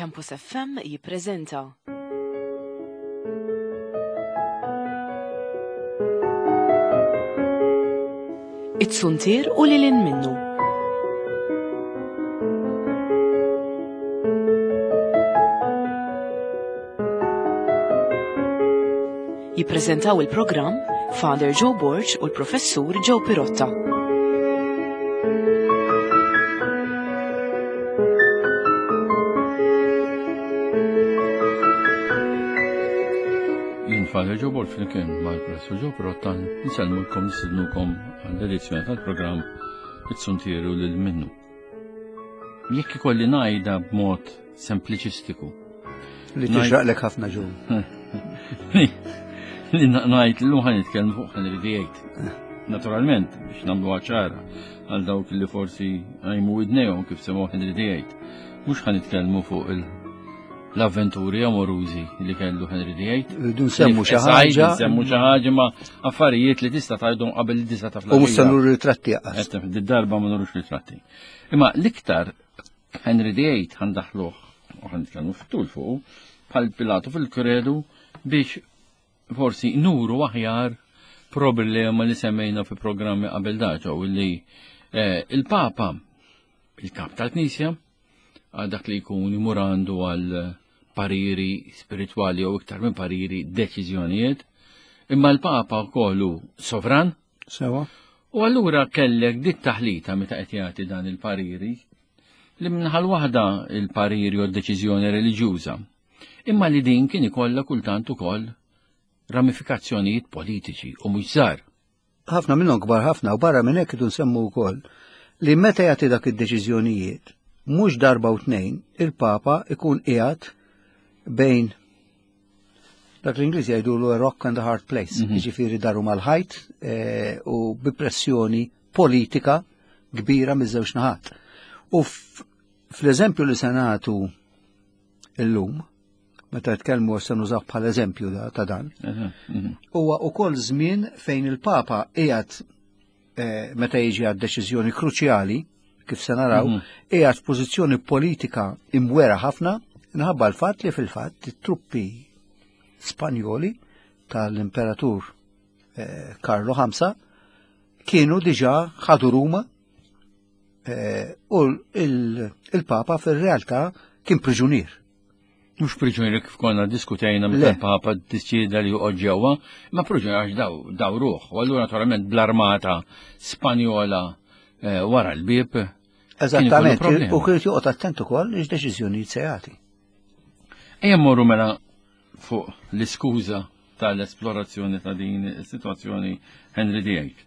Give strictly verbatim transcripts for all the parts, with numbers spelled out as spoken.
Campus F M jippreżenta It-Suntier u lil hinn minnu. Jippreżentaw il-programm Father Joe Borg u l-Professur Joe Pirotta. Jien Father Joe Borg flimkien mal-Professur Joe Pirotta nsellmulkom, nistednukom għall-edizzjoni tal-programm It-Suntier u lil minnu. Jekk ikolli ngħidha b'mod sempliċistiku. Li tixraqlek ħafna, Joe. Li ngħid li ħa nitkellmu fuq Henry the Eighth. Naturalment, biex nagħmlu ċara għal dawk li forsi għajmu widnejhom kif semgħu Henry the Eighth. Mhux ħa nitkellmu fuq l-avventuri amorużi li kellu Henry the Eighth. Rridu nsemmu xi ħaġa. Nsemmu xi ħaġa ma' affarijiet li tista' tgħidhom qabel li tista' taf. U mhux se nuru ritratti anqas. Darba ma nurux ritratti. Imma l-iktar Henry the Eighth ħa ndaħħluh u ħa nitkellmu fit-tul fuq bħal Pilatu fil-kredu biex forsi nuru aħjar problema li semmejna fi programmi qabel daġa u li eh, il-Papa, il-kap tal-Knisja, għal dak li jkun imur għandu għal pariri spirituali u iktar minn pariri, deċiżjonijiet, imma l-Papa kollu sovran. Sewa. U allura kellek dit taħlita meta qed jagħti dan il-pariri li minħal waħda il-pariri u d-deċiżjoni reliġjuża. Imma li din kien ikollha kultant ukoll ramifikazzjonijiet politiċi u mhux żgħar. Ħafna minnhom kbar ħafna, u barra minn hekk nsemmu wkoll li meta jagħti dak id-deċiżjonijiet, mhux darba u tnejn il-Papa ikun qiegħed bejn dak l-Ingliż jgħidu a rock and a hard place, mm -hmm. jiġifieri daru mal-ħajt eh, u bi pressjoni politika kbira miż-żewġ naħat. U fl-eżempju li se nagħtu illum, meta tkellmu se nużaw bħal eżempju ta' dan, mhm. huwa ukoll żmien fejn il-Papa qiegħed eh, meta jiġi għad deċiżjoni kruċjali, kif se naraw, mhm. qiegħed f'pożizzjoni politika imwera ħafna minħabba l-fatt li fil-fatt it-truppi Spanjoli tal-Imperatur eh, Karlo the Fifth kienu diġà ħadu Ruma eh, u il-Papa fil-realtà kien priġunier. Mhux priġunier kif konna diskutejna meta l-Papa ddeċieda li joqgħod ġewwa, ma priġunier għax daw dawruh. U allura naturalment bl-armata Spanjola eh, wara l-bieb. Eżattament, u kien joqgħod attent ukoll x'deċiżjonijiet se jagħti. Ejja mmorru mela fuq l-iskuża tal-esplorazzjoni ta' din is-sitwazzjoni, Henry the Eighth.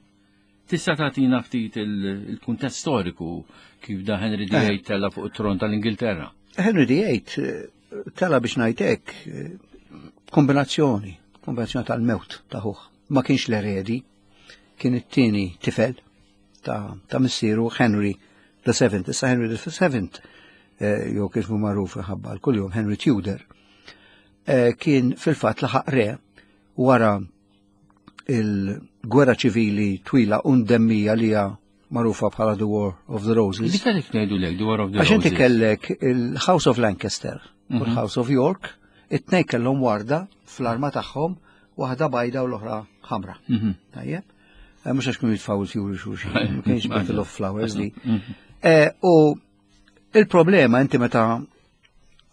Tista' tagħtina ftit il-kuntest storiku kif da Henry the Eighth eh. tella fuq it-tron tal-Ingilterra? Henry the Eighth eh, tela, biex ngħidlek, eh, kombinazzjoni, kombinazzjoni tal-mewt ta' ħuh. Ma kienx l-eredi, kien it-tieni tifel ta', ta missieru Henry the Seventh. Issa Henry the Seventh, jew kif hu magħruf ħabba l-kuljum Henry Tudor, kien fil-fatt laħaq re wara il-gwerra ċivili twila u mdemmija li hija magħrufa bħala The War of the Roses. Dik għalik ngħidu lek, The War of the Roses. Għax inti kellek il-House of Lancaster u mhm. l-House of York, it-tnejn kellhom warda fl-arma tagħhom, waħda bajda u l-oħra ħamra. Mhm. Tajjeb? Eh, mhux għax kienu jitfgħu il-fjuri xulxin, ma kienx Battle of Flowers li. Mhm. Eh, u il-problema inti meta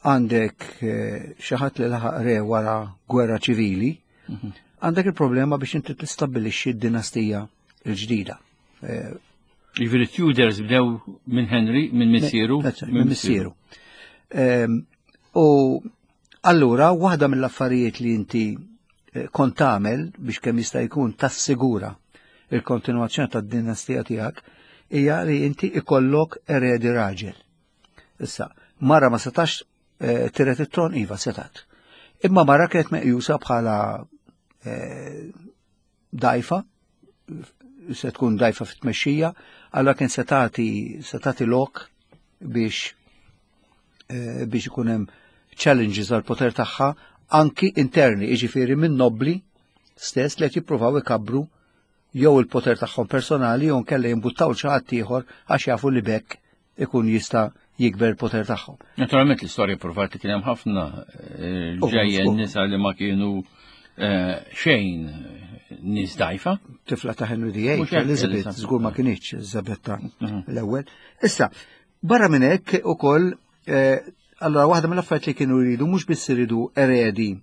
għandek eh, xi ħadd li laħaq re wara gwerra ċivili, għandek il-problema biex inti tistabbilixxi d-dinastija l-ġdida. Eh, Jiġifieri Tudors bdew minn Henry, minn missieru. Minn missieru. Ehm, u allura waħda mill-affarijiet li inti eh, kont tagħmel biex kemm jista' jkun tassigura il-kontinuazzjoni tad-dinastija tiegħek hija li inti ikollok eredi raġel. Issa, mara ma setax eh, tiret it-tron? Iva, setat. Imma mara kienet meqjusa bħala eh, dajfa, se tkun dajfa fit-tmexxija, allura kien se tagħti se tagħti lok biex eh, biex ikun hemm challenges għal poter tagħha anki interni, jiġifieri minn nobli stess li qed jippruvaw ikabbru jew il-poter tagħhom personali jew nkella jimbuttaw xi ħadd ieħor għax jafu li bekk ikun jista' jikber il-poter tagħhom. Naturalment l-istorja provat li kien hemm ħafna eh, ġejjen nisa li ma kienu eh, xejn nies dajfa. Tifla ta' Henry the Eighth, Elizabeth, żgur ma kinitx Elizabetta mhm. l-ewwel. Issa, barra minn hekk ukoll eh, allora waħda mill-affarijiet li kienu jridu mhux biss iridu eredi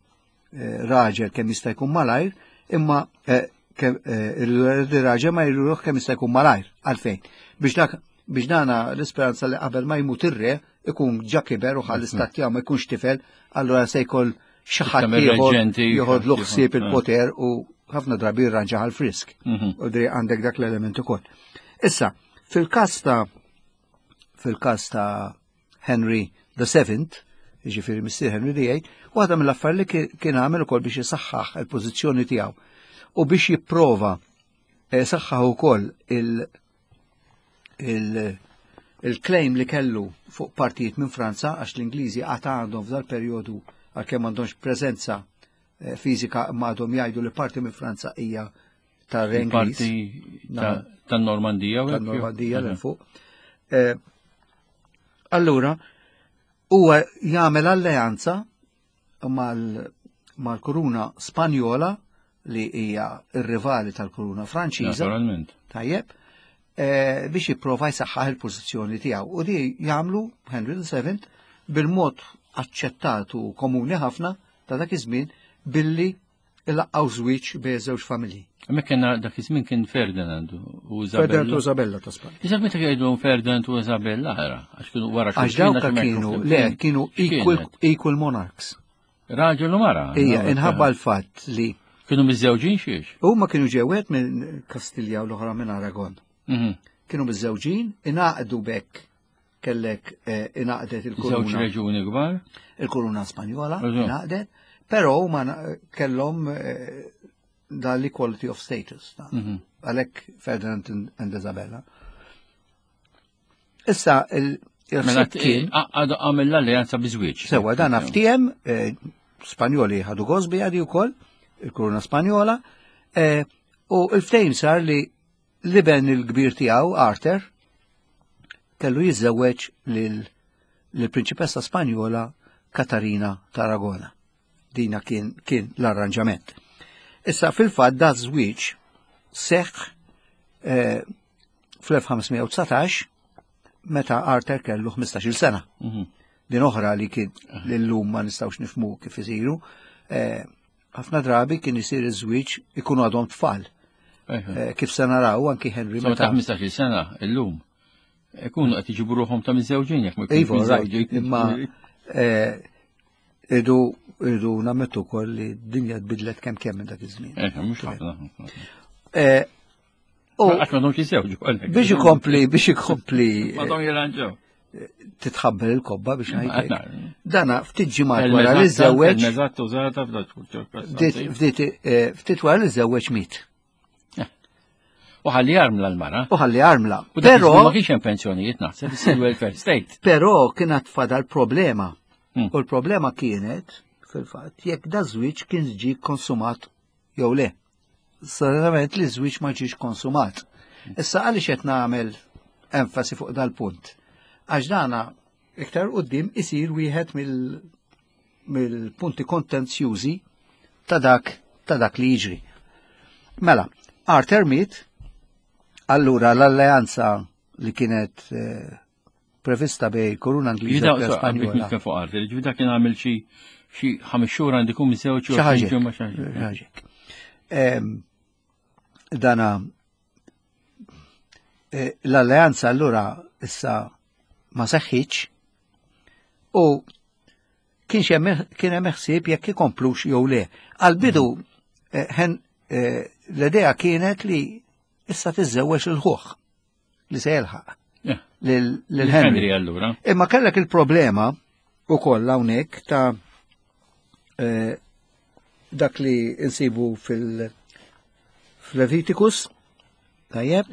raġel kemm jista' jkun malajr, imma irridu raġel ma jridu kemm jista' jkun malajr. Għalfejn? Biex dak biex dana l-isperanza li qabel ma jmut ir-re ikun ġa kiber u ħall istat tiegħu ma jkunx tifel, allura se jkoll xi ħadd ieħor joħodlu ħsieb il-poter u ħafna drabi jirranġa għal frisk. Mhm. U dri għandek dak l-element ukoll. Issa, fil-każ ta' fil-każ ta' Henry the Seventh, jiġifieri missier Henry the Eighth, waħda mill-affarijiet li kien għamel ukoll biex isaħħaħ il-pożizzjoni tiegħu u biex jipprova eh, saħħaħ ukoll il- il-claim li kellu fuq partijiet minn Franza għax l-Ingliżi għad għandhom f'dal perjodu għalkemm m'għandhomx preżenza eh, fiżika imma għadhom jgħidu li parti minn Franza hija tar-Re Ingliż. Parti tan-Normandija. Tan-Normandija l fuq. Eh, allura, huwa jagħmel alleanza mal-kuruna Spanjola li hija r-rivali tal-kuruna Franċiża. Naturalment. Tajjeb. Eh, biex jipprova jsaħħaħ il-pożizzjoni tiegħu. U di jagħmlu Henry the Seventh bil-mod aċċettat u komuni ħafna ta' dak iż-żmien billi ilaqqgħu żwieġ bejn żewġ familji. Hemmhekk kellna dak iż-żmien kien Ferdinand u Isabella. Ferdinand u Isabella ta' Spanja. Iżda meta jgħidu Ferdinand u Isabella ara, għax kienu wara Għax dawk kienu, le, kienu equal, equal monarchs. Raġel u mara. Ija, inħabba l-fatt li. Kienu miżżewġin xiex? Huma kienu ġewet minn Kastilja u l-oħra minn Aragon. Mhm. Kienu miżżewġin, ingħaqdu bekk kellek eh, ingħaqdet il-kuruna. Żewġ reġuni kbar. Il-kuruna Spanjola ingħaqdet, però huma kellhom eh, dal-equality of status. Mhm. Għalhekk Ferdinand and Isabella. Issa il Mela għamel l-alleanza biżwieġ. Sewa dan ftiem eh, Spanjoli ħadu gosbi għadi wkoll, il-kuruna Spanjola, u l-ftehim sar li l-iben il-kbir tiegħu Arthur kellu jiżżewweġ lill-prinċipessa Spanjola Katarina ta' Aragona. Dina kien, kien l-arranġament. Issa fil-fatt da żwieġ seħħ eh, fl-elf ħamsmija u dsatax meta Arthur kellu ħmistax-il sena. Mhm. Din oħra li kien l-lum ma nistgħux nifhmu kif isiru. Eh, ħafna drabi kien isir iż-żwieġ ikunu għadhom tfal. Eh, Kif se naraw anki Henry meta ta' ħmistax-il sena illum ikunu qed iġibu ruħhom ta' miżewġin jekk ma jkunux miżewġin. Imma idu idu nammettu wkoll li d-dinja tbidlet kemm kemm minn dak iż-żmien. Eh, mhux ħafna. U għax ma domx jiżewġu għalhekk. Biex ikompli, biex ikompli. Ma dom jirranġaw. Titħabbel il-kobba biex ngħidlek. Dana ftit ġimgħat wara li żewweġ. Eżatt użata Ftit wara li żewweġ miet. U ħalli armla l-mara. U ħalli armla. Però ma kienx hemm pensjonijiet naħseb, isir welfare state. Però kienet fadal problema. U l-problema kienet fil-fatt jekk da żwieġ kien ġie konsumat jew le. Sarament li żwieġ ma ġiex konsumat. Issa għaliex qed nagħmel enfasi fuq dal-punt? Għax dana iktar quddiem isir wieħed mill-punti kontenzjużi ta' dak ta' dak li jiġri. Mela, Arthur miet, allura l-alleanza li kienet eh, prevista bej koruna Ingliża u Spanjola. Fuq Arthur, ġifieri dak kien għamel xi xi ħames xhur għandi jkun miżewġ xi ħaġa. Dana l-alleanza allura issa ma seħħitx u kien hemm ħsieb jekk ikomplux jew le. Għal-bidu l-idea kienet li issa tiżżewweġ il-ħuħ li se jelħaq lil Henry allura. Imma kellek il-problema ukoll hawnhekk ta' dak li insibu fil-Leviticus, tajjeb,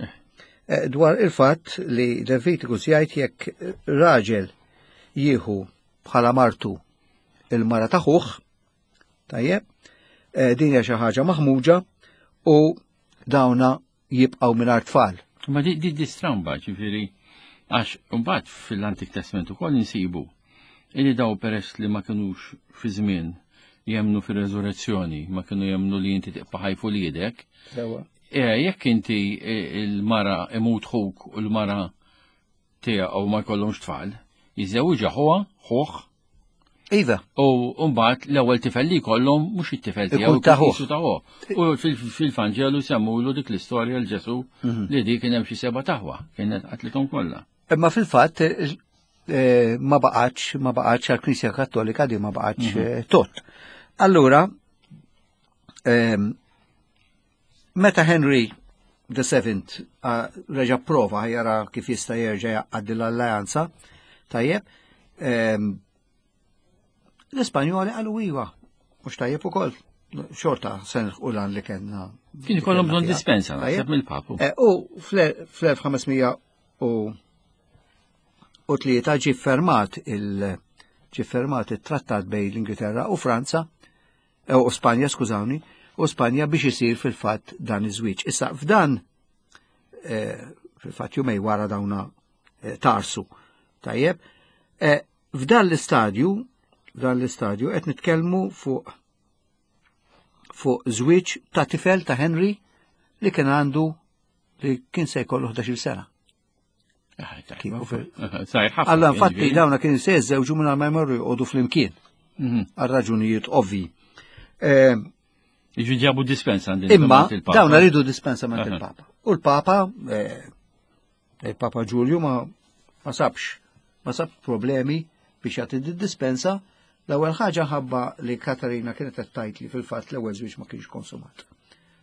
dwar il-fatt li Leviticus jgħid jekk raġel jieħu bħala martu il-mara ta' ħuh, tajjeb, din hija xi ħaġa maħmuġa u dawna jibqgħu mingħajr tfal. Ma di di stramba, ġifieri Għax mbagħad fil-Antik Testament ukoll insibu illi daw peress li ma kinux fi żmien jemnu fir-reżurrezzjoni, ma kienu jemnu li inti tibqa' ħaj fuq Sewa. Eh, jekk inti eh, il-mara imut ħuk u l-mara tiegħu ma jkollhomx tfal, jiżewġha ħuha, ħuh, Iva, u mbagħad l-ewwel tifel li jkollhom mhux it-tifel tiegħu Ikun ta' ħuh. jisu ta' ħuh. U fil- fil-Vanġelu semmulu dik l-istorja l Ġesu Mhm. li dik kien hemm xi seba' taħwa, kienet qatlithom kollha. Imma fil-fatt eh, eh, ma baqgħatx ma baqgħatx għall-Knisja Kattolika di ma baqgħatx eh, tot. Allura, ehm, meta Henry the Seventh ah, reġa' prova jara kif jista' jerġa' jgħaddi l-alleanza, tajjeb, ehm, l-Ispanjoli qalu iva, mhux tajjeb ukoll. Xorta se nilħqu lan li kellna. Kien ikollhom bżonn dispensa Tajjeb. naħseb mill-Papu. Eh, U fl-elf ħames mija u u tlieta ġi fermat il ġi fermat il-trattat bejn l-Ingilterra u Franza eh, u Spanja, skużawni, u Spanja biex isir fil-fatt dan iż-żwieġ. Issa f'dan eh, fil-fatt jumejn wara dawna eh, tarsu. Tajjeb, eh, f'dan l-istadju, f'dan l-istadju qed nitkellmu fuq fuq żwieġ ta' tifel ta' Henry li kien għandu li kien se jkollu ħdax-il sena. Ah, tajba. Kieku fil- Sajr ħafna. Alla kien, infatti ġifieri. dawna kien se jiżżewġu minn ma jmorru joqogħdu flimkien Mhm. għal raġunijiet ovvi. Eh, Jiġu ġabu dispensa għand Imma il- il-Papa. dawna ridu dispensa minn Aha. il-Papa. U l-Papa, eh, il-Papa Ġulju ma ma sabx, ma sab problemi biex jagħti di dispensa. L-ewwel ħaġa ħabba li Katarina kienet qed tgħid li fil-fatt l-ewwel żwieġ ma kienx konsumat.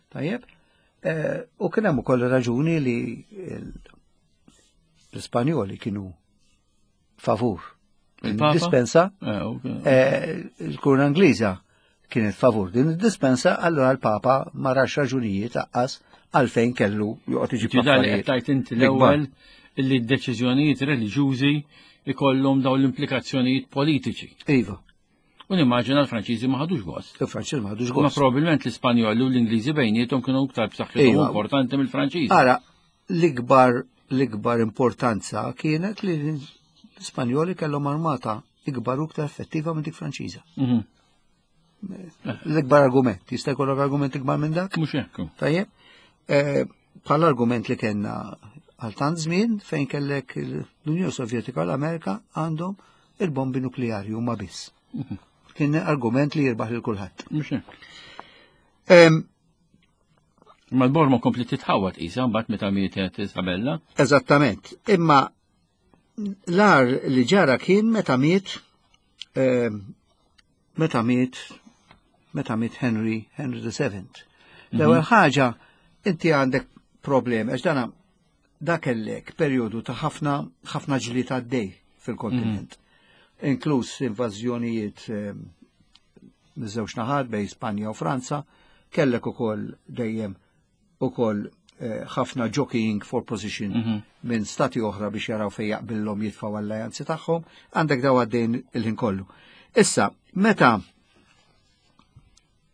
Tajjeb? Eh, U kien hemm ukoll raġuni li l- l-Ispanjoli kienu favur. Il-Papa? Dispensa Eh, ok. Eh, il-Kurna Ingliża kienet favur din id-dispensa, allora l-Papa ma rax raġunijiet aqqas għalfejn kellu joqgħod iġib Ġi dal affarijiet qed tajt inti l-ikbar. l-ewwel illi d-deċiżjonijiet reliġjużi ikollhom dawn l-implikazzjonijiet politiċi. Iva, U nimmaġina l-Franċiżi ma ħadux gost. il-Franċiż ma ħadux Ma gost. probabbilment l-Ispanjoli u l-Ingliżi bejniethom kienu iktar b'saħħithom Iva. importanti mill-Franċiżi. Ara, l-ikbar l-ikbar importanza kienet li l-Ispanjoli kellhom armata ikbar u iktar effettiva minn dik Franċiża. Mhm. L-ikbar argument, jista' jkollok argument ikbar minn dak? Mhux hekk. Tajjeb, eh, bħala argument li kellna għal tant żmien fejn kellek l-Unjoni Sovjetika u l-Amerika għandhom il-bombi nukleari huma biss. Kien argument li jirbaħ lil kulħadd. Mhux hekk. Em, Ma l-Borma kompli titħawat isa mbagħad meta mietet Isabella. Eżattament. Imma l-ar li ġara kien meta miet em, meta miet meta miet Henry Henry the Seventh. L-ewwel ħaġa inti għandek problemi għax dana dak kellek perjodu ta' ħafna ħafna ġlied għaddej fil-kontinent. Inkluż invażjonijiet em, miż-żewġ naħat bejn Spanja u Franza, kellek ukoll dejjem ukoll eh, ħafna jockeying for position minn stati oħra biex jaraw fejn jaqbillhom jitfgħu alleanzi tagħhom, għandek daw għaddejn il-ħin kollu. Issa, meta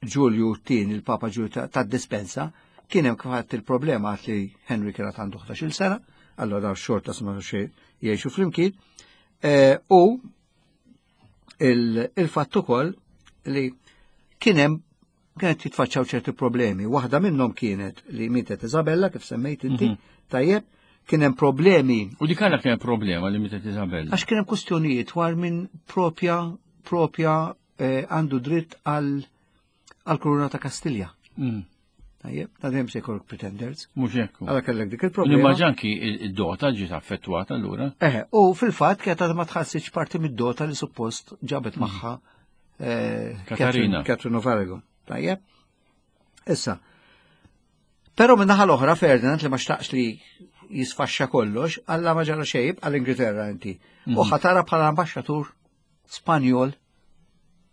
Ġulju t-tieni, il-Papa Ġulju ta' ta' dispensa, kien hemm kif għadt il-problema għat li Henry kien għad għandu ħdax-il sena, allora xorta sma xi jgħixu flimkien, eh, u il- il-fatt ukoll li kien hemm kienet jitfaċċaw ċerti problemi. Waħda minnhom kienet li mietet Isabella, kif semmejt inti, tajjeb, kien hemm problemi U dik għala kien problema li mietet Isabella. għax kien hemm kwistjonijiet dwar minn propja propja eh, għandu dritt għal għal kuruna ta' Kastilja. Mm, Tajjeb, ta' dejjem se jkollok pretenders. Mhux hekk. Għala kellek dik il-problema. Nimmaġina anki id-dota ġiet affettwata allura. Eh, u fil-fatt kienet għadha ma tħassitx parti mid-dota li suppost ġabet magħha eh, Katarina. Catherine Catherine of Aragon. Tajjeb. Issa. Però minn naħa l-oħra Ferdinand li ma xtaqx li jisfaxxa kollox, alla ma ġara xejn għall-Ingilterra inti. U ħatara bħala ambaxxatur Spanjol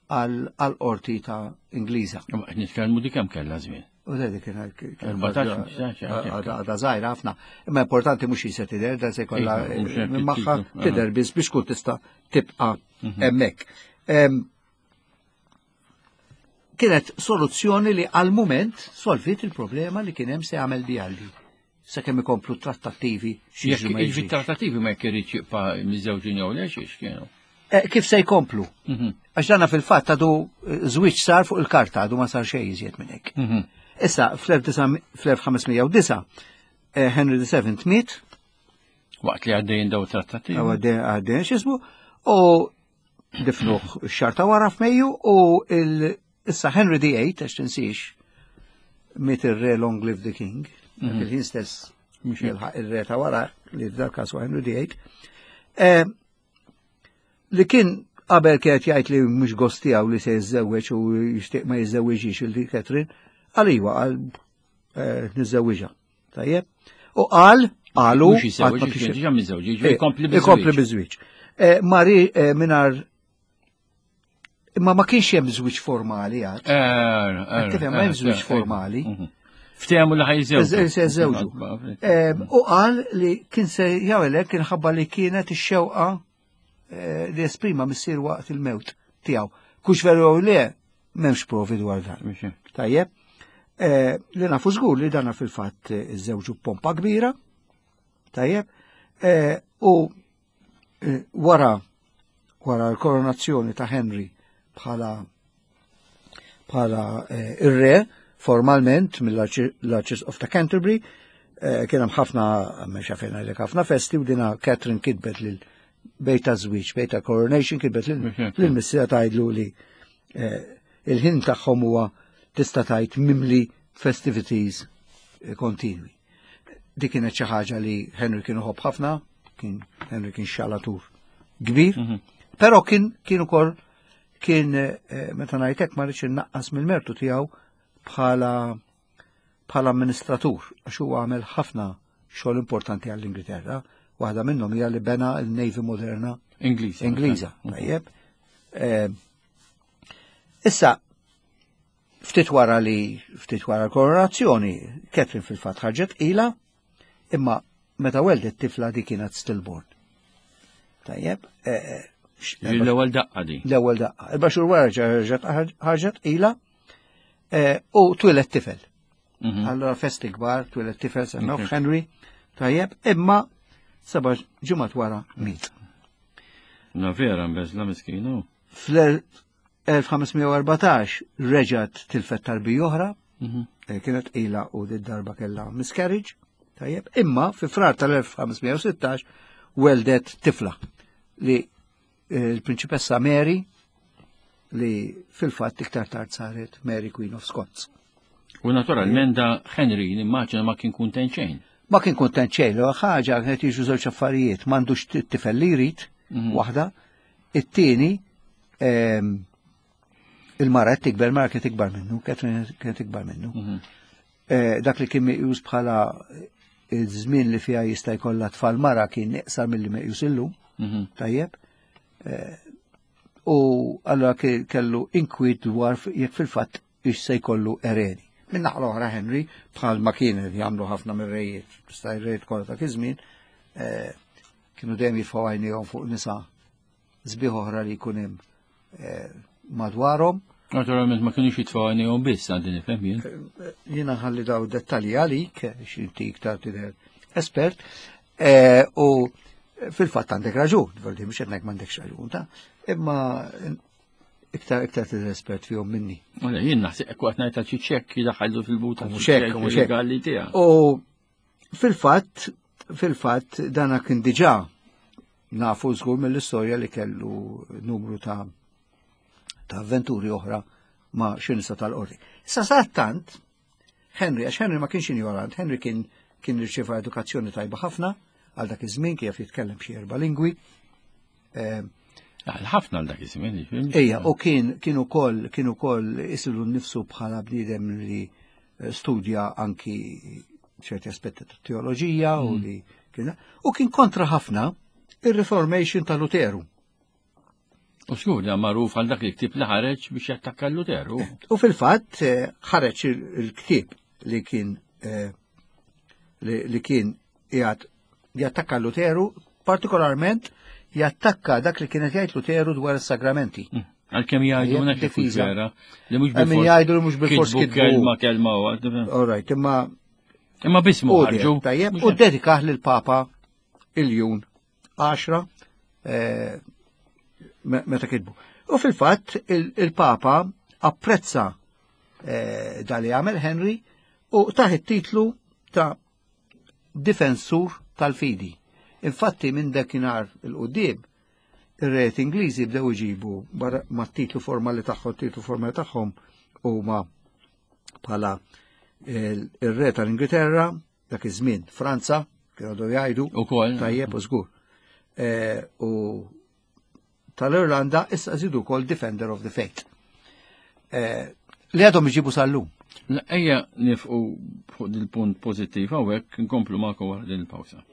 għal qorti ta' Ingliża. Imma qed nitkellmu dik kemm kellha żmien. U da dik kien Erbatax, ħmistax, għadha żgħira ħafna. Imma importanti mhux jista' tidher, dan se jkollha Iva, mhux hekk minn magħha it-titlu, tidher biss biex tkun tista' tibqa' hemmhekk. Em, Kienet soluzzjoni li għal mument solvit il-problema li kien hemm se jagħmel di għaldi. sakemm ikomplu trattattivi xi Jekk jiġri trattattivi ma jekk irid jibqa' miżewġin jew le xiex kienu. Eh, kif se jkomplu? Mhm. Għax dana fil-fatt għadu eh, żwieġ sar fuq il-karta, għadu ma sar xejn iżjed minn hekk. Mhm. Issa fl-elf ħames mija u disgħa eh, Henry the Seventh miet. Waqt li għaddejjin daw trattattivi. Għaddejn x'ismu, u difnuh xahar ta' wara f'Mejju u issa Henry the Eighth, għax tinsiex, miet ir-re, long live the king, dak Mhm. il-ħin stess Mhux hekk. jilħaq ir-re ta' wara li f'dal każ huwa Henry the Eighth, eh, li kien qabel kienet jgħid li mhux gost tiegħu li se jiżżewweġ u jixtieq ma jiżżewwiġix il Catherine, qal iwa, qal eh, niżżewwiġha. Tajjeb? U qal, qalu, Mhux jiżżewweġ, qatt ma kien kien diġà miżewġ, jiġifieri jkompli ikompli biż-żwieġ. biż-żwieġ. Eh, Mari eh, minar imma ma kienx hemm żwieġ formali għad. Eh, Tifhem, ma hemm żwieġ formali. Mhm. Ftehmu li ħa jiżżewġu. Se jiżżewġu. Eh, U qal li kien se jagħmel kien ħabba li kienet ix-xewqa eh, li esprima missier waqt il-mewt tiegħu. Kux veru jew le, m'hemmx provi dwar dan. Tajjeb. Eh, Li nafu żgur li dana fil-fatt eh, iżżewġu pompa kbira. Tajjeb. Eh, U eh, wara wara l-koronazzjoni ta' Henry bħala bħala eh, ir-re formalment mill-Archbishop ta' Canterbury, eh, kien hemm ħafna, mhux fejn għalek, ħafna festi u dina Catherine kitbet lil bejta żwieġ, bejta coronation, kitbet lil lil missiera tgħidlu li eh, il-ħin tagħhom huwa tista' tgħid mimli festivities eh, kontinwi. Dik kienet xi ħaġa li Henry kien uħobb ħafna, kien Henry kien xalatur kbir, Mhm. però kien kien ukoll kien eh, meta ngħidlek ma rridx innaqqas mill-mertu tiegħu bħala bħala amministratur, għax huwa għamel ħafna xogħol importanti għall-Ingilterra. Waħda minnhom hija li bena l-Navy moderna Ingliż. Ingliża, tajjeb. Eh, Issa, ftit wara li ftit wara l-koronazzjoni, Catherine fil-fatt ħarġet ila, imma meta weldet tifla di kienet stillborn. Tajjeb, eh, eh, x- L-ewwel daqqa di. L-ewwel daqqa. Erba' xhur wara ġeġet ħarġet ila eh, u twieled tifel. Mhm. Allora festi kbar, twieled tifel semmewh Ok. Henry, tajjeb, imma seba' ġimgħat wara miet. Na vera mbeżla miskinu. Fl-elf ħames mija u erbatax reġgħet tilfet tarbija oħra, Mhm. eh, kienet ila u di darba kellha miscarriage, tajjeb, imma fi Frar tal-elf ħames mija u sittax weldet tifla li eh, l-prinċipessa Mary, li fil-fatt iktar tard saret Mary Queen of Scots. U naturalment da Henry nimmaġina ma kien kuntent xejn. Ma kien kontent xejn, l ħaġa kienet jiġu żewġ affarijiet, m'għandux tifel li jrid, Mhm. waħda, it-tieni ehm, il-mara qed tikber, mara kienet ikbar minnu, Catherine kienet ikbar minnu. Mhm. Eh, dak li kien meqjus bħala iż-żmien li fiha jista' jkollha tfal mara kien iqsar milli meqjus illum, Mhm. tajjeb. Eh, U allora ke- kellu inkwiet dwar f- jekk fil-fatt ix se jkollu eredi. Minn naħa l-oħra Henry, bħal ma kien jagħmlu ħafna mir-rejiet, sta rejiet kollha ta' iż-żmien, eh, kienu dejjem jitfgħu għajnejhom fuq nisa sbieħ oħra li jkun hemm eh, madwarhom. Naturalment ma kienux jitfgħu għajnejhom biss, għandi nifhem jien. Jiena ħalli daw dettalji għalik, x'inti iktar tidher espert, eh, u fil-fatt għandek raġun, voldi mhux qed ngħid m'għandekx raġun, ta' imma iktar iktar tidher espert fihom minni. Wala jien naħseb hekk waqt ngħid xi ċekk jidaħħallu fil-buta. Mhux hekk, mhux hekk. Regali tiegħek. U fil-fatt, fil-fatt dana kien diġà nafu żgur mill-istorja li kellu numru ta' ta' avventuri oħra ma' xi nisa tal-qorti. Issa tant Henry, għax Henry ma kienx ignorant, Henry kien kien irċieva edukazzjoni tajba ħafna għal dak iż-żmien, kif jitkellem xi erba' lingwi. Eh, Ħafna għal dak iż-żmien. jiġifieri. Ejja, u kien kien ukoll kien ukoll isilu nnifsu bħala bniedem li eh, studja anki ċerti aspetti ta' teoloġija u li kien u kien kontra ħafna ir-Reformation ta' Luteru. U xgur li magħruf għal dak il-ktib li ħareġ biex jattakka Luteru. U fil-fatt eh, ħareġ il- il-ktieb li kien eh, li li kien jgħat jattakka Luteru, partikolarment jattakka dak li kienet jgħid Luteru dwar is-sagramenti. Għalkemm jgħidu Ejja, hekk ikun difiża. vera li mhux Min jgħidu li mhux bilfors kitbu kitbu. kelma kelma waħda. All right, imma Imma bismu ħarġu. Tajjeb, u ddedikah lill-Papa Iljun għaxra eh, meta kitbu. U fil-fatt il-Papa apprezza eh, da li għamel Henry u taħ it-titlu ta' difensur tal-fidi. Infatti minn dakinhar il-qudiem ir-rejiet Ingliżi bdew iġibu barra mat-titlu formali tagħhom, titlu formali tagħhom huma bħala ir-re tal-Ingilterra, dak iż-żmien Franza, kienu għadu jgħidu, Ukoll. tajjeb u żgur. Eh, u tal-Irlanda issa żidu wkoll Defender of the Faith. Eh, li għadhom iġibu sal-lum. Ejja nifqu fuq dil-punt pożittiv hawnhekk nkomplu magħkom wara din il-pawsa.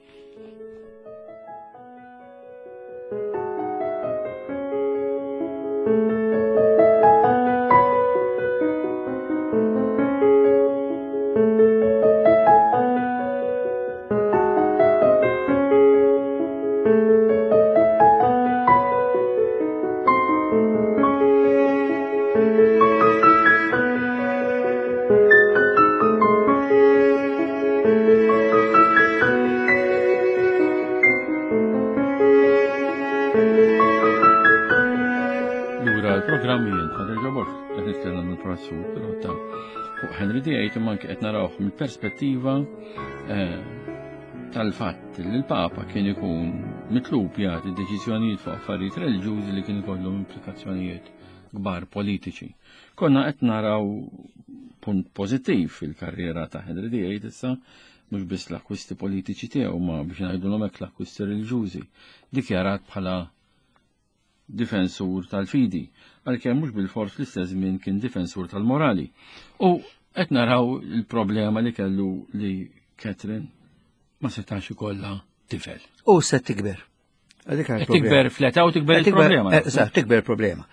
Lura l-programm jien Father Joe Borg, qed nitkellem mill-professur Pirotta fuq Henry the Eighth imma anke qed narawh mill-perspettiva eh, tal-fatt li l-Papa kien ikun mitlub jagħti deċiżjonijiet fuq affarijiet reliġjużi li kien ikollhom implikazzjonijiet kbar politiċi. Konna qed naraw punt pożittiv fil-karriera ta' Henry the Eighth issa mhux biss l-akkwisti politiċi tiegħu ma biex ngħidulhom hekk l-akkwisti reliġjużi, dikjarat bħala difensur tal-fidi, għalkemm mhux bil-fors fl-istess żmien kien difensur tal-morali. U qed naraw il-problema li kellu li Catherine ma setax ikollha tifel. U se tikber. Dik Qed tikber fl-età u tikber il-problema. Eżatt, tikber il-problema.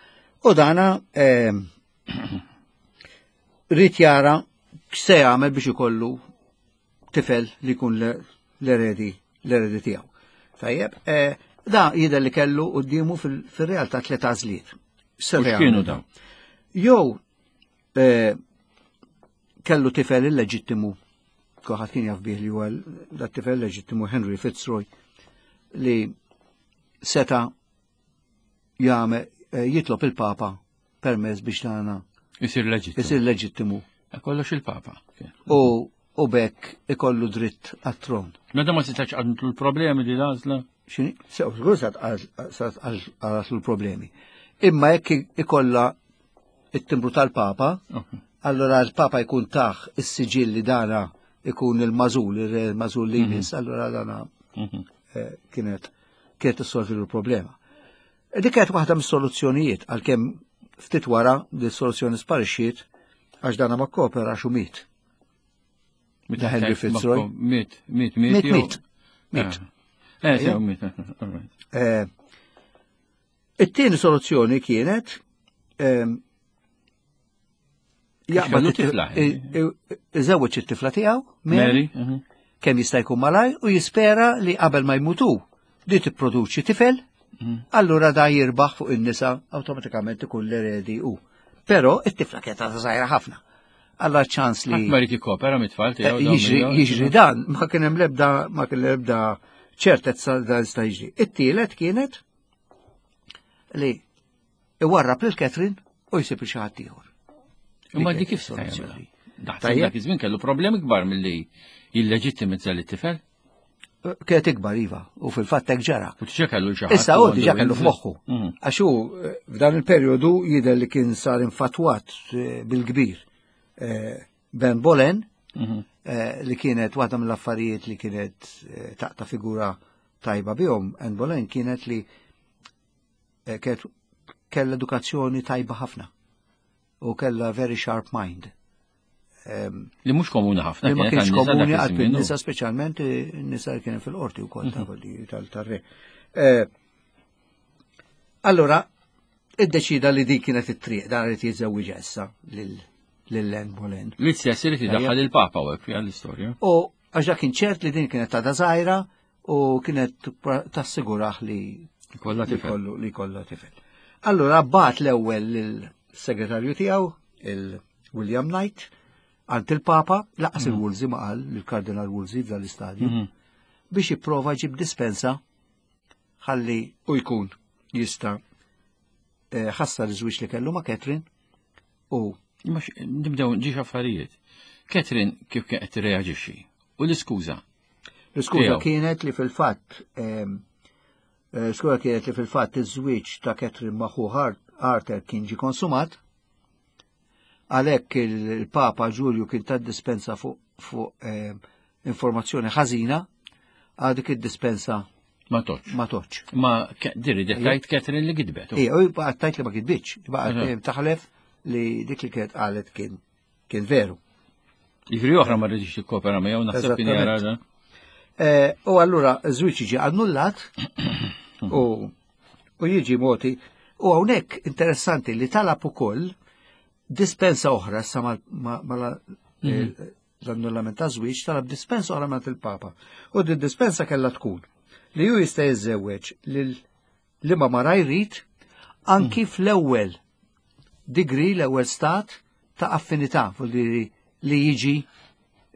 U dana ehm, rrid jara x'se jagħmel biex ikollu tifel li jkun l-eredi l-eredi tiegħu. Tajjeb, eh, da jidher li kellu quddiemu fil-realtà tliet għażliet. U x'kienu dawn? Jew eh, kellu tifel illeġittimu, kulħadd kien jaf bih li huwa dat tifel leġittimu Henry Fitzroy li seta jagħmel eh, jitlob il-Papa permess biex tagħna Isir leġittimu. isir leġittimu Kollox il-Papa. u u bekk ikollu dritt għat-tron. Meta ma setax għandlu l-problemi li l-għażla? Xini? Sew, żgur sat għal l-problemi. Imma jekk ikolla it-timbru tal-Papa, allora l-Papa jkun taħ is-siġill li dana ikun il-mażul, il-mażul li jmiss, allora dana eh, kienet kienet issolvi l-problema. Dik kienet waħda mis-soluzzjonijiet għalkemm ftit wara di soluzzjoni sparixxiet għax dana ma kopera xu miet. Meta Henry Fitzroy. Miet, miet, miet. Miet, jew- miet. Miet. Eh, sew, miet. All right. Eh, It-tieni soluzzjoni kienet ehm, jaqbad Kellu it- tifla, i- i- iżewweġ it-tifla tiegħu Mary, Mary, mhm. kemm jista' jkun malaj u jispera li qabel ma jmutu di tipproduċi tifel, allura da jirbaħ fuq in-nisa awtomatikament ikun l-eredi u. Però it-tifla kienet għadha żgħira ħafna. Alla ċans li Ħadd ma jrid jikkopera mit-tfal Eh, tiegħu. dawn jiġri miegħu. jiġri dan, ma kien hemm l-ebda ma kien l-ebda ċertezza dan jista' jiġri. It-tielet kienet li iwarrab lil Catherine u jsib xi ħadd ieħor. Imma Li di kif kienet seta' jagħmilha? soluzzjoni. Daħseb Tajjeb. dak iż-żmien kellu problemi kbar milli jilleġittimizza lit-tifel. Eh, Kienet ikbar iva, u fil-fatt hekk ġara. U diġà kellu xi ħadd. Issa u hu diġà għandu kellu f'moħħu. Mhm. Għax hu eh, f'dan il-perjodu jidher li kien sar infatwat eh, bil-kbir eh, Ben Bolen, Mhm. eh, li kienet waħda mill-affarijiet li kienet eh, taqta figura tajba bihom, Anne Boleyn kienet li eh, kienet kella edukazzjoni tajba ħafna u kella very sharp mind. Em, Li mhux komuni ħafna. Li ma kienet kienx għan-nisa dak komuni għal iż-żmien, nisa speċjalment eh, nisa li kienu fil-qorti wkoll ta' quelli tal-tarre. Eh, Allora, iddeċida li din kienet it-triq dan irid jiżżewwiġ issa lil lil Anne Boleyn. Li stess irid idaħħal il-Papa u hekk fiha l-istorja. U għax dak kien ċert li din kienet għadha żgħira u kienet tassigurah li Kollha li tifel. kollu li kollha tifel. Allura bat l-ewwel lill-segretarju tiegħu, il-William Knight, għand il-Papa, lanqas il-Wolsey ma qal, il-Kardinal Wolsey f'dan l-istadju, Mhm. biex jipprova jġib dispensa ħalli u jkun jista' eh, ħassar iż-żwieġ li kellu ma' Catherine u Imma x- nibdew ġiex affarijiet. Catherine kif kien qed tirreaġixxi? U l-iskuża. L-iskuża Tiegħu. kienet li fil-fatt ehm, eh, skuża kienet li fil-fatt iż-żwieġ ta' Catherine ma' ħu Arthur kien ġi konsumat, għalhekk il-Papa Ġulju kien ta dispensa fuq fuq ehm, informazzjoni ħażina, għal dik id-dispensa Ma toċ. ma toċ. Ma ke- diri dettajt Catherine li gidbet. Ija, u baqgħet tgħid li ma kitbitx, baqgħet Aha. dejjem taħlef li dik li kienet qalet kien kien veru. Jiġifieri oħra ma rridx tikkopera miegħu naħseb kien jara Eżattament. da. Eh, U allura żwieġ jiġi annullat u u jiġi moti. U hawnhekk interessanti li talab ukoll dispensa oħra issa mal- ma- mal- eh, l-annullament ta' żwieġ talab dispensa oħra minn il-Papa. U din dispensa kellha tkun li ju jista' jiżżewweġ lil liema mara jrid anki fl-ewwel degree, l-ewwel stat ta' affinità, vuol dire li jiġi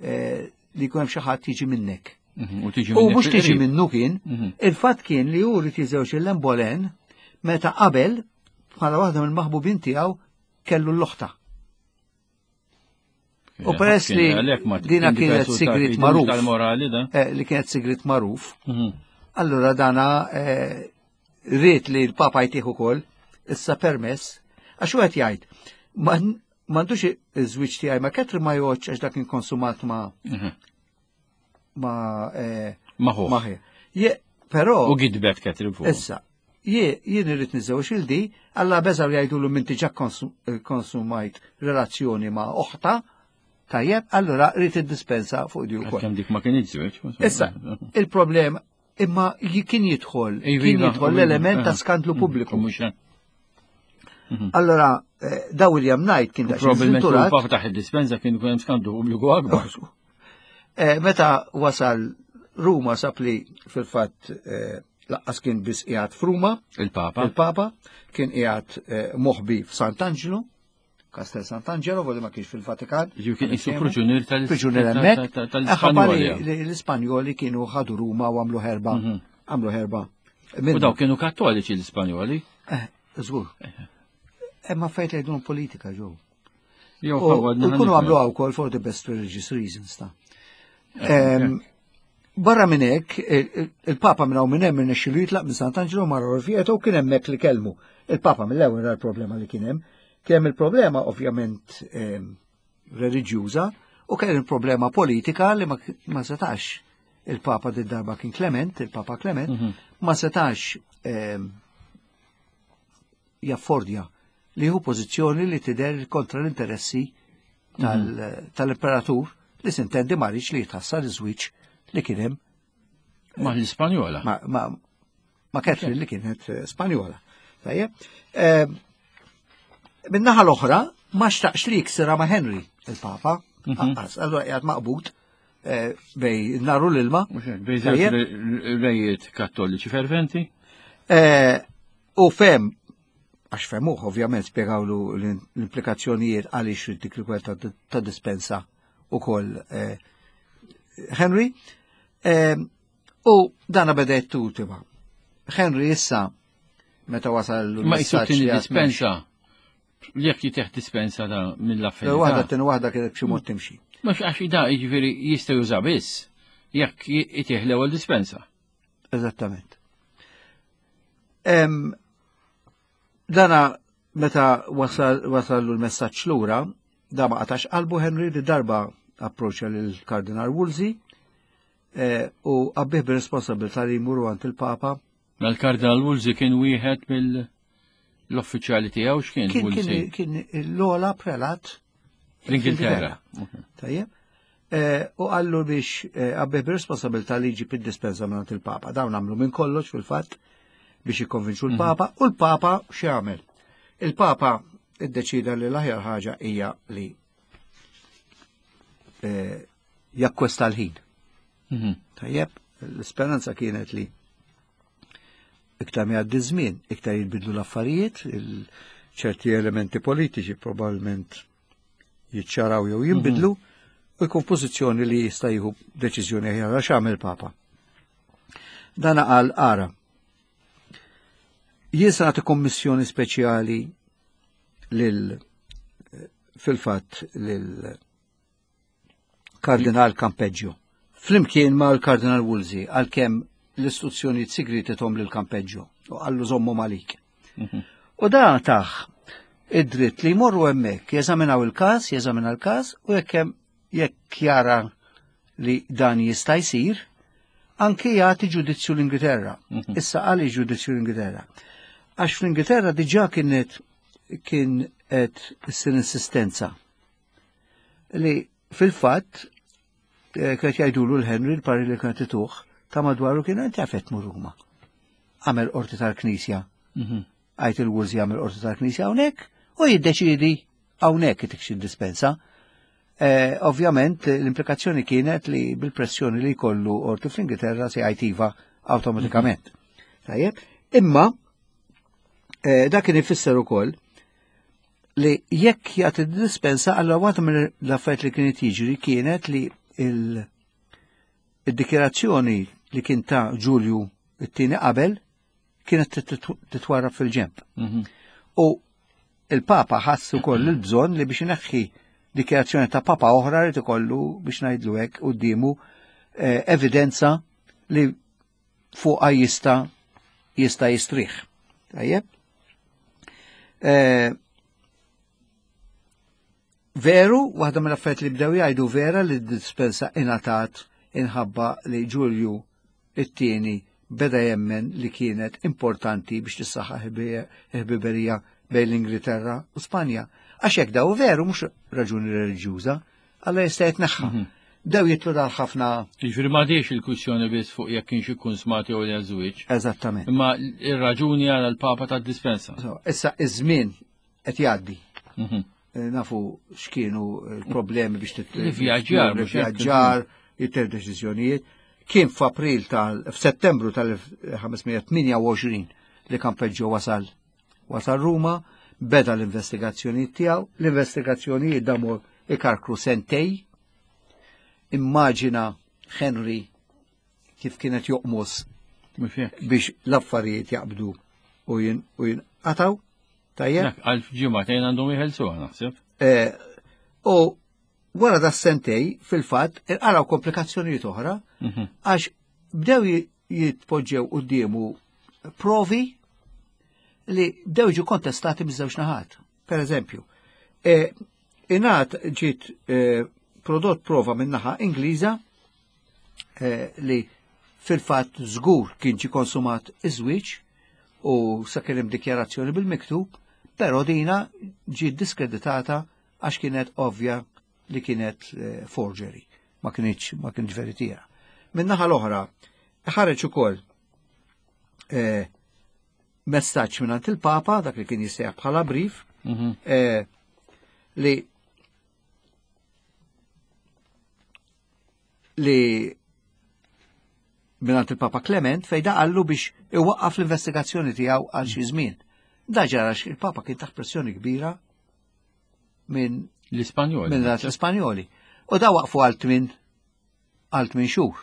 eh, li jkun hemm xi ħadd jiġi minnek. Mhm, U tiġi U minnek mhux tiġi fil-qrib. minnu kien, Mhm. il-fatt kien li hu rrid jiżewġ il Boleyn meta qabel bħala waħda mill-maħbubin tiegħu kellu l-oħta. U peress li Għalhekk ma- dina kien kienet diversu sigrit ta' magħruf. Tal-morali da. Eh, li kienet sigrit magħruf, Mhm. allura dana eh, ried li l-Papa jtih ukoll issa permess, għax u qed jgħid, ma- m'għandux iż-żwieġ tiegħi ma' Catherine ma joqgħodx għax dak kien konsumat ma' Mhm. ma' eh, Maħuħ. ma' Je, però U gidbet Catherine fuq. Issa, jie- jien irrid niżewġ il di, alla beżaw jgħidulu minti ġa konsum- eh, konsumajt relazzjoni ma' oħta, tajjeb, allura rrid id-dispensa fuq di wkoll. Kemm dik ma kien żwieġ. Issa, il-problem imma ji- kien jidħol, Iva, kien iva, jidħol iva, l-element ta' eh. skandlu pubbliku. Mhux hekk. Allora, eh, da William Knight kien daqsxejn Probabilment żventurat. il-Papa taħt id-dispensa kien ikun hemm skandlu pubbliku akbar. Eh, Meta wasal Ruma sab li fil-fatt eh, lanqas kien biss qiegħed f'Ruma, Il-Papa. Il-Papa kien qiegħed eh, moħbi f'Sant'Angelo, Castel Sant'Angelo, voli ma kienx fil-Vatikan. Ġifieri kien qisu priġunier tal- Priġunier ta- hemmhekk. ta- Eh, ħabba li tal-Ispanjoli. li l-Ispanjoli kienu ħadu Ruma u għamlu ħerba. Mhm. Għamlu ħerba. U daw kienu kattoliċi l-Ispanjoli. Eh, żgur. Imma fejt li jgħidulhom politika ġew. Jew U ħawwadna u jkunu ħanifhem. għamlu wkoll for the best religious reasons ta' Em, Barra minn hekk, il- il- il-Papa minn hawn minn hemm irnexxielu jitlaq minn Sant'Angelo mar Orvieto u kien hemmhekk li kellmu. Il-Papa mill-ewwel ra l-problema li kien hemm. Kien hemm il-problema ovvjament em, reliġjuża u kien il-problema politika li ma, ma setax il-Papa din darba kien Clement, il-Papa Clement, Mhm. ma setax em, jaffordja li hu pożizzjoni li tidher kontra l-interessi tal- tal-imperatur li sintendi ma li jitħassar iż-żwieġ li kien hemm Ma l-Ispanjola. ma, ma, ma Catherine li kienet eh, Spanjola. Tajjeb. Eh, Min-naħa l-oħra, ma xtaqx li jiksira ma' Henry, il-Papa, Anqas, allura qiegħed maqbut eh, bejn naru l-ilma. Mhux hekk, bejn żewġ Tajjeb. re- rejiet kattoliċi ferventi. Eh, U fem, għax femuh ovvjament spiegawlu l-implikazzjonijiet għaliex dik il ta' ta' dispensa u koll eh, Henry. Eh, U dana beda jittutima. Henry issa meta wasal Ma jisu l-messaġġ tini li għad dispensa. Jekk jiteħ dispensa da Waħda mill-affinità. t waħda kienet b'xi mod timxi. Mhux għax da jiġifieri jista' juża biss jekk jitieħ l-ewwel dispensa. Eżattament. Em, dana meta wasal wasallu l-messaġġ lura, da ma qatax qalbu Henry li darba approċċja lil Kardinal Wolsey eh, u għabbih bir-responsabilità li jmuru għand il-Papa. Ma l-Kardinal Wolsey kien wieħed mill-uffiċjali tiegħu x'kien Kien kien Wolsey? kien l-ola prelat Fl-Ingilterra. Tajjeb. Eh, U għallu biex eh, għabbih bir-responsabilità li jġib id-dispensa minn il-Papa. Dawn għamlu minn kollox fil-fatt biex jikkonvinċu l-Papa u l-Papa x'jagħmel? Il-Papa iddeċida li l-aħjar ħaġa hija li eh, jakkwesta l-ħin. Mhm. Tajjeb, l-speranza kienet li iktar mi għaddi żmien, iktar jinbidlu l-affarijiet, il- ċerti elementi politiċi probabbilment jiċċaraw jew jinbidlu u jkun f'pożizzjoni li jista' jieħu deċiżjoni aħjar għax għamel Papa. Dan qal ara. Jien se nagħti kommissjoni speċjali lil fil-fatt lil Kardinal Campeggio. Flimkien ma' l-Kardinal Wolsey għalkemm l-istruzzjoni segreti tom lil Campeggio u qallu żommu malik. U da taħ id-dritt li jmorru hemmhekk jeżaminaw il-każ, jeżamina l-każ u jekk hemm jekk jara li dan jista' jsir, anke jagħti ġudizzju l-Ingilterra. Issa għaliex ġudizzju l-Ingilterra? Għax fl-Ingilterra diġà kienet kien qed issir insistenza li fil-fatt eh, kienet jgħidulu l-Henry l-pari li kienet ituh ta' madwaru kien inti għafet mur Ruma. Għamel qorti tal-Knisja. Għajt il-Wolsey għamel qorti tal-Knisja hawnhekk u jiddeċidi hawnhekk itik xi dispensa. Eh, ovvjament l-implikazzjoni kienet li bil-pressjoni li jkollu qorti fl-Ingilterra se jgħid iva awtomatikament. Tajjeb, imma eh, dak kien ifisser ukoll li jekk jagħti dispensa allura waħda mill l-affarijiet li kienet jiġri kienet li il- id-dikjerazzjoni li kien ta' Ġulju it-tieni qabel kienet titwarrab fil-ġemp. U il-Papa ħass ukoll il-bżonn li biex ineħħi dikjerazzjoni ta' Papa oħra li ikollu biex ngħidlu hekk quddiemu eh, evidenza li fuqha jista' jista' jistrieħ. Tajjeb? Eh, Veru, waħda mill-affarijiet li bdew jgħidu vera li d-dispensa ingħatat inħabba li Ġulju it-tieni beda jemmen li kienet importanti biex tissaħħaħ il-ħbiberija bejn l-Ingilterra u Spanja. Għax hekk daw veru mhux raġuni reliġjuża, alla jista' jitneħħa. Bdew jitlu dal ħafna Jiġifieri m'għadix il-kwistjoni biss fuq jekk kienx ikkonsmati jew le żwieġ. Eżattament. Imma ir-raġuni għal l-Papa ta' dispensa. So, issa iż-żmien qed jgħaddi. Eh, Nafu x'kienu l-problemi biex tit- L-ivvjaġġar, mhux hekk? l-ivvjaġġar, jitter deċiżjonijiet. Kien f'April tal f'Settembru tal-elf ħames mija tmienja u għoxrin li Campeggio wasal wasal Ruma, beda l-investigazzjonijiet tiegħu, l-investigazzjonijiet damu ikarkru sentej. Immaġina Henry kif kienet joqmos Mhux hekk. biex l-affarijiet jaqbdu u jin u jinqataw. Tajjeb? Dak għal ġimgħatejn għandhom jeħelsuha naħseb. Eh, U wara da sentej, fil-fatt, inqalgħu komplikazzjonijiet oħra, għax bdew ji- jitpoġġew quddiemu provi li bdew ġu kontestati miż-żewġ naħat. Per eżempju, eh, ingħad ġiet eh, prodott prova minn naħa Ingliża eh, li fil-fatt żgur kien ġi konsumat iż-żwieġ u sa kien hemm dikjarazzjoni bil-miktub, però dina ġiet diskreditata għax kienet ovvja li kienet eh, forgery, ma kienx ma kienx veritiera. Minn naħa l-oħra, ħareġ ukoll eh, messaġġ minn il-Papa, dak li kien jissejjaħ bħala brief, eh, li li minn il-Papa Clement fej da qallu biex iwaqqaf l-investigazzjoni tiegħu għal xi żmien. Da ġara għax il-Papa kien taħt pressjoni kbira minn L-Ispanjoli. minn l-Ispanjoli. U da waqfu għal tmin għal tmin xhur.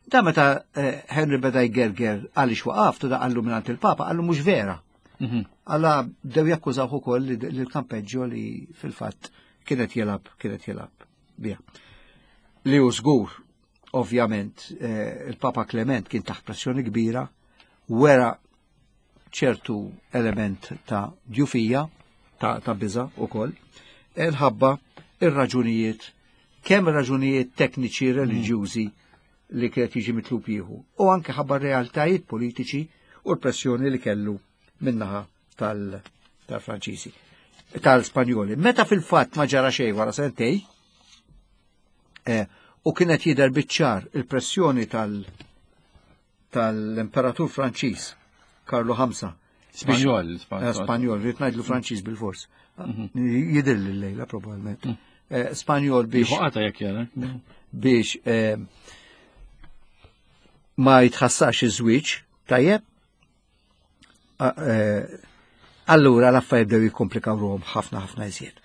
Da meta eh, Henry beda jgerger għaliex waqaftu da qallu minn il-Papa, qallu mhux vera. Mhm. Alla bdew jakkużaw ukoll li li l-Campeggio li fil-fatt kienet jilgħab kienet jilgħab biha. Li hu żgur, ovvjament, eh, il-Papa Clement kien taħt pressjoni kbira, wera ċertu element ta' djufija, ta', ta' biża ukoll, il-ħabba ir-raġunijiet, kemm raġunijiet tekniċi reliġjużi li kienet jiġi mitlub jieħu, u anke ħabba realtajiet politiċi u l-pressjoni li kellu minnaħa tal- tal-Franċiżi, tal-Spanjoli. Meta fil-fatt ma ġara xejn wara sentej, eh, u kienet jidher biċ-ċar il-pressjoni tal- tal-Imperatur Franċiż Karlu ħamsa. Spanjol, Eh, Spanjol, rrid ngħidlu Franċiż bil-fors. Jidher lejla probabbilment. Eh, Spanjol biex Ħoqata jekk jara. biex eh, ma jitħassax iż-żwieġ, tajjeb? A- eh, Allura l-affarijiet bdew jikkomplikaw ruhom ħafna ħafna iżjed.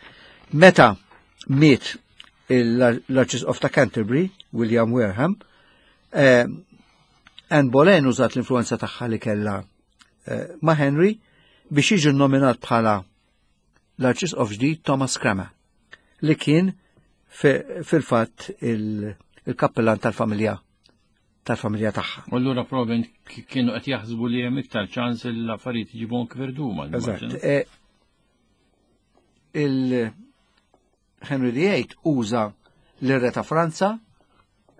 Meta miet l-Arċisqof ta' Canterbury, William Wareham, eh, Anne Boleyn użat l-influenza tagħha li kellha eh, ma' Henry biex jiġi nominat bħala l-Arċisqof ġdid Thomas Cranmer, li kien fil-fatt il-kappellan tal-familja tal-familja tagħha. U allura probabbilment kienu qed jaħsbu li hemm iktar ċans li l-affarijiet iġibhom kif irduma. Eżatt. Eh, il-Henry the Eighth uża l-re ta' Franza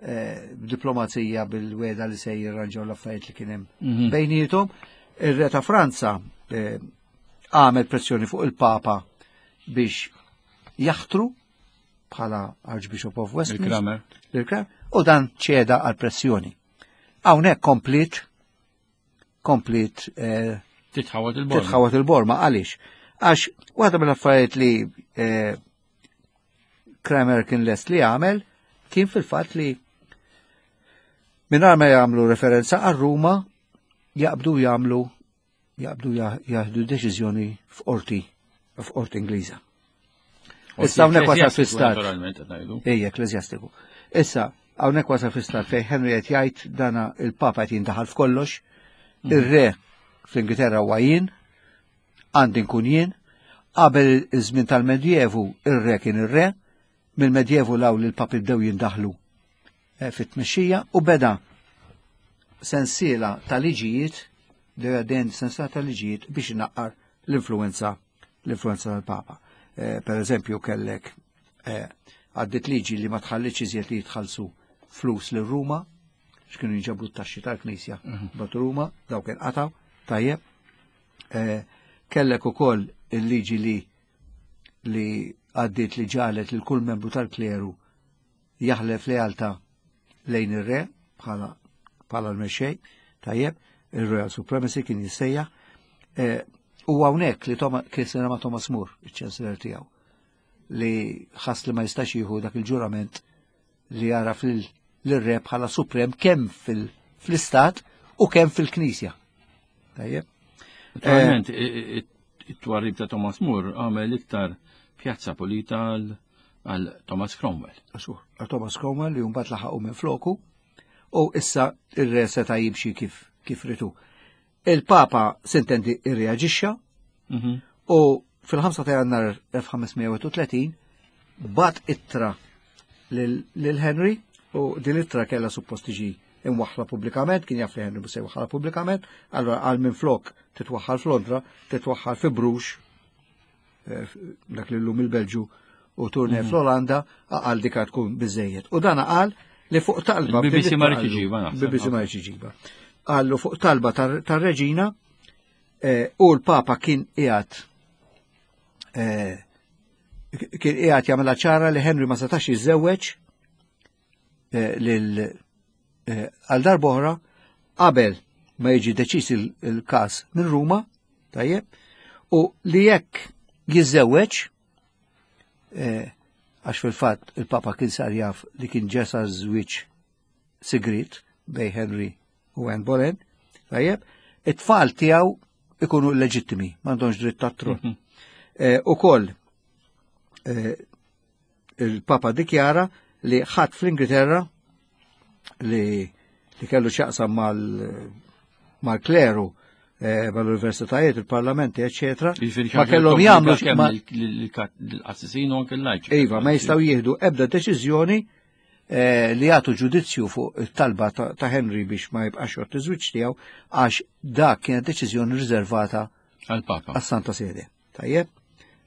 eh, b'diplomazija bil-weda li se jirranġaw l-affarijiet li kien hemm Mhm. bejnietom. Ir-re ta' Franza eh, għamel pressjoni fuq il-Papa biex jaħtru bħala Archbishop of Westminster. Il-Cranmer. Il-Cranmer, u dan ċeda għal pressjoni. Hawnhekk komplit komplit eh, Titħawat il-borma. titħawat il-borma għaliex? Għax waħda mill-affarijiet li eh, Cranmer kien lest li għamel kien fil-fatt li mingħajr ma jagħmlu referenza għal Ruma jaqbdu jagħmlu jaqbdu jieħdu deċiżjoni f'qorti f'qorti Ingliża. Issa hawnhekk wasal fi stat. Naturalment qed ngħidu. Ejja, ekkleżjastiku. Issa, hawnhekk wasal fi stat fejn Henry qed jgħid dana il-Papa qed jindaħal f'kollox, ir-re fl-Ingilterra huwa jien, għandi nkun jien, qabel iż-żmien tal-Medjevu ir-re kien ir-re, mill-Medjevu law li l-papi bdew jindaħlu eh, fit-tmexxija u beda sensiela ta' liġijiet, bdew sensiela ta' liġijiet biex inaqqar l-influenza l-influenza tal-Papa. Eh, per eżempju kellek eh, għaddit liġi li ma tħallix iżjed li jitħallsu flus lil Ruma, x'kienu jġabru t-taxxi tal-Knisja bat Ruma, daw kien qataw, tajjeb. Eh, kellek ukoll il-liġi li li għaddit li ġalet lil kull membru tal-kleru jaħlef lealtà lejn ir-re bħala bħala l-mexxej, tajjeb, il-Royal Supremacy kien jissejjaħ. Eh, u hawnhekk li Thomas kien ma' Thomas More, iċ-Chancellor tiegħu, li ħass li ma jistax jieħu dak il-ġurament li jara fil-re bħala suprem kemm fil-istat u kemm fil-Knisja. Tajjeb. Naturalment, it-twarrib ta' Thomas More għamel iktar pjazza pulita għal Thomas Cromwell. Għasur, għal Thomas Cromwell li mbagħad laħaqu minn floku u issa ir-re seta' jimxi kif kif ritu. Il-Papa sintendi irreaġixxa Mhm. u fil-ħamsa ta' Jannar elf ħames mija u wieħed u tletin bagħat ittra lil Henry u din ittra kella suppost tiġi imwaħla pubblikament, kien jaf li Henry se jwaħħalha pubblikament, allora għal minn flok titwaħħal f'Londra, titwaħħal fi Bruges, eh, dak li llum il-Belġu u Tournai mhm. fl-Olanda, għal dika tkun biżejjed. U dan qal li fuq talba. B B C ma rridx iġiba, naħseb. B B C ma rridx iġiba. Qallu fuq talba tar-reġina eh, u l-Papa kien qiegħed eh, kien qiegħed jagħmilha ċara li Henry ma setax jiżżewweġ lil għal darb'oħra qabel ma jiġi deċiż il-każ minn Ruma, tajjeb, u li jekk jiżżewweġ, għax fil-fatt il-Papa kien sar jaf li kien ġesa żwieġ sigrit bejn Henry u Anne Boleyn, tajjeb, it-tfal tiegħu ikunu leġittimi, m'għandhomx dritt tat-tron. Mhm. U koll il-Papa dikjara li ħadd fl-Ingilterra li li kellu x'jaqsam mal-kleru, eh, mal-universitajiet, il-parlamenti, eccetera. Ma kellhom jagħmlu l-qassisin u anke l-lajċi. Iva, ma jistgħu jieħdu ebda deċiżjoni eh, li jagħtu ġudizzju fuq it-talba ta' Henry biex ma jibqax jgħodd iż-żwieġ tiegħu għax dak kienet deċiżjoni riservata għal-Papa. Għas-Santa Sede. Tajjeb?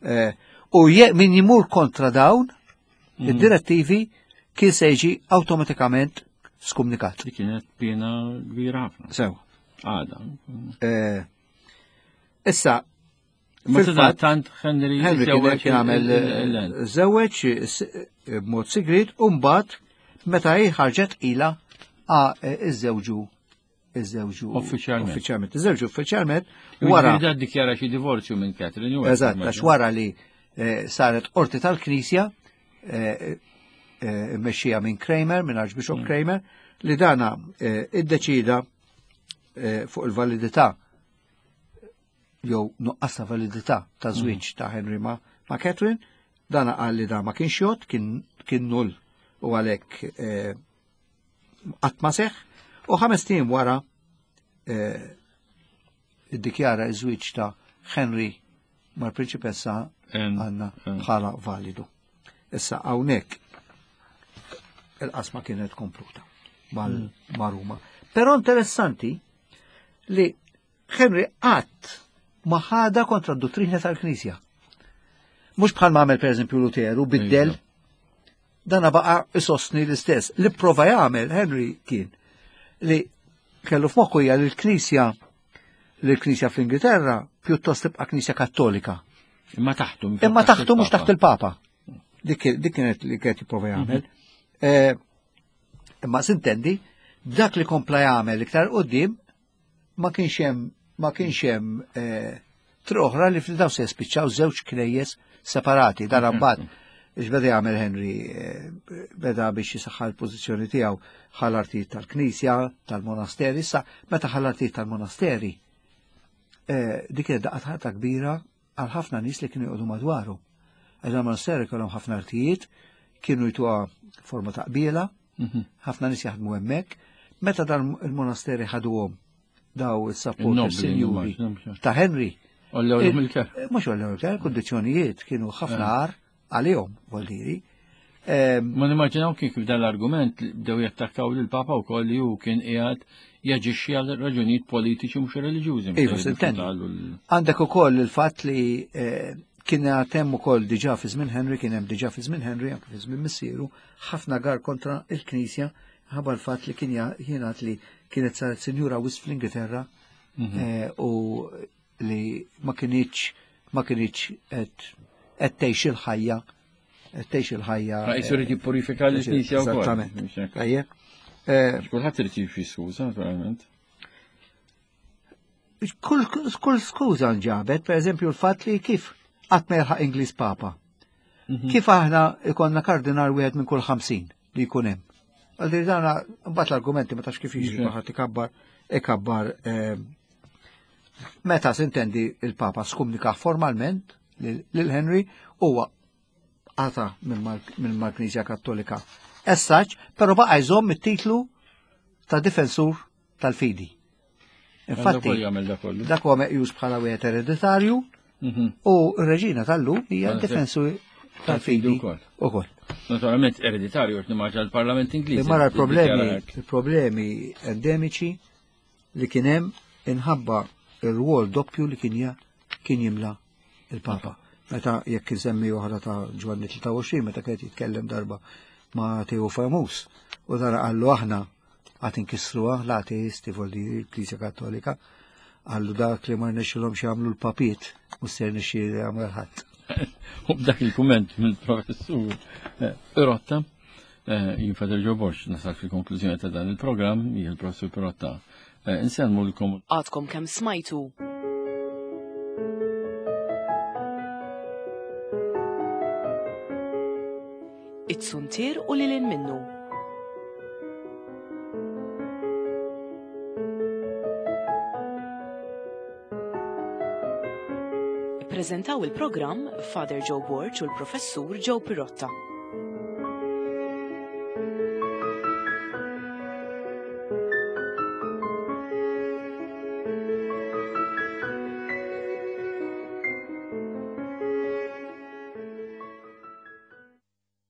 Eh, u min jimur kontra dawn mhm. id-direttivi kien se jiġi awtomatikament skumnikat. Dik kienet pena kbira ħafna. Sew. Għada. Eh, issa, Ma tant Henry Henry kien għamel żewweġ b'mod sigrit u mbagħad meta hi ħarġet ila iżżewġu iżżewġu Uffiċjalment. Uffiċjalment. Iżżewġu uffiċjalment wara. Wara dikjara xi divorzju minn Catherine. Eżatt, għax wara li eh, saret qorti tal-Knisja eh, eh, mmexxija minn Cranmer, minn Archbishop mm. Cranmer, li dana iddeċida fuq il-validità jew nuqqas ta' validità ta' żwieġ mm. ta' Henry ma', ma' Catherine. Dana qal li da ma kienx jgħodd, kien, kien null u għalhekk eh, qatt ma seħħ. U ħames ijiem wara eh, iddikjara iż-żwieġ ta' Henry mal-prinċipessa Anna bħala validu. Issa hawnhekk il-qasma kienet kompluta mal Ruma. Però interessanti li Henry qatt ma ħada kontra d-dottrina tal-Knisja. Mhux bħal ma għamel pereżempju Luteru, biddel, dana baqa isostni l-istess. Li prova jagħmel Henry kien li kellu f'moħħu hija li l-Knisja li l-Knisja fl-Ingilterra pjuttost tibqa' Knisja Kattolika. Imma taħtu. Imma taħtu mhux taħt il-Papa. Dik kienet li kienet jipprova jagħmel. Imma sintendi, dak li kompla jagħmel iktar qudiem ma kienx hemm ma kienx hemm triq oħra li fil-daw se jispiċċaw żewġ knejjes separati. Dan mbagħad biex beda jagħmel Henry, beda biex jisaħħa l-pożizzjoni tiegħu ħal artijiet tal-Knisja, tal-monasteri. Issa meta ħal artijiet tal-monasteri, dik kienet daqqa ħarta kbira għal ħafna nies li kienu joqogħdu madwaru. Għax il-monasteri kellhom ħafna artijiet, kienu jtuha forma ta' qbiela, ħafna nies jaħdmu hemmhekk. Meta dan il-monasteri ħaduhom daw is-support sinjuri ta' Henry. Mhux għollew il-ker, kundizzjonijiet kienu ħafna għar għalihom, vuol diri. Ma nimmaġinaw kif dan l-argument bdew jattakkaw lill-Papa wkoll li hu kien qiegħed jaġixxi għal raġunijiet politiċi mhux reliġjużi. Iva, sintendi. Għandek ukoll il-fatt li kien hemm ukoll diġà fi żmien Henry, kien hemm diġà fi żmien Henry, anke fi żmien missieru, ħafna gar kontra il-Knisja ħabba l-fatt li kien jingħad li kienet saret sinjura wisq fl-Ingilterra u li ma kinitx ma kinitx qed tgħix il-ħajja tgħix il-ħajja. Ma jisur irid jippurifika l-Knisja wkoll. Esattament. Tajjeb. Kulħadd irid jifxi skuża, naturalment. Kull kull skuża nġabet, pereżempju l-fatt li kif qatt ma jilħaq Ingliż Papa. Kif aħna ikonna kardinal wieħed minn kull ħamsin li jkun hemm. Għaldir dana, mbagħad l-argumenti ma tafx kif jiġri kulħadd ikabbar, ikabbar meta sintendi il-Papa skumnika formalment lil Henry huwa qata minn mal-Knisja Kattolika. Essaċ, però baqa' jżomm it-titlu ta' difensur tal-fidi. Infatti, dak huwa meqjus bħala wieħed ereditarju u r-reġina tal-lum hija difensur tal-fidi ukoll. Naturalment ereditarju qed nimmaġina l-Parlament Ingliż. Imma l-problemi, il-problemi endemiċi li kien hemm inħabba ir-rwol doppju li kien kien jimla il-Papa. Meta jekk insemmi oħra ta' Ġwanni tlieta u għoxrin, meta kien jitkellem darba ma' Teo Famus, u dara qallu aħna għad inkissruha l-ateisti vuol dire l-Knisja Kattolika, qallu dak li ma rnexxilhomx jagħmlu l-papiet mhux se jirnexxielu jagħmel ħadd. U b'dak il-kumment mill-professur Pirotta, jien Father Joe Borg nasal fil-konklużjoni ta' dan il-programm, jien il-professur Pirotta. Insellmulkom. Għadkom kemm smajtu. It-suntier u lil hinn minnu. Ippreżentaw il-programm Father Joe Borg u l-Professur Joe Pirotta.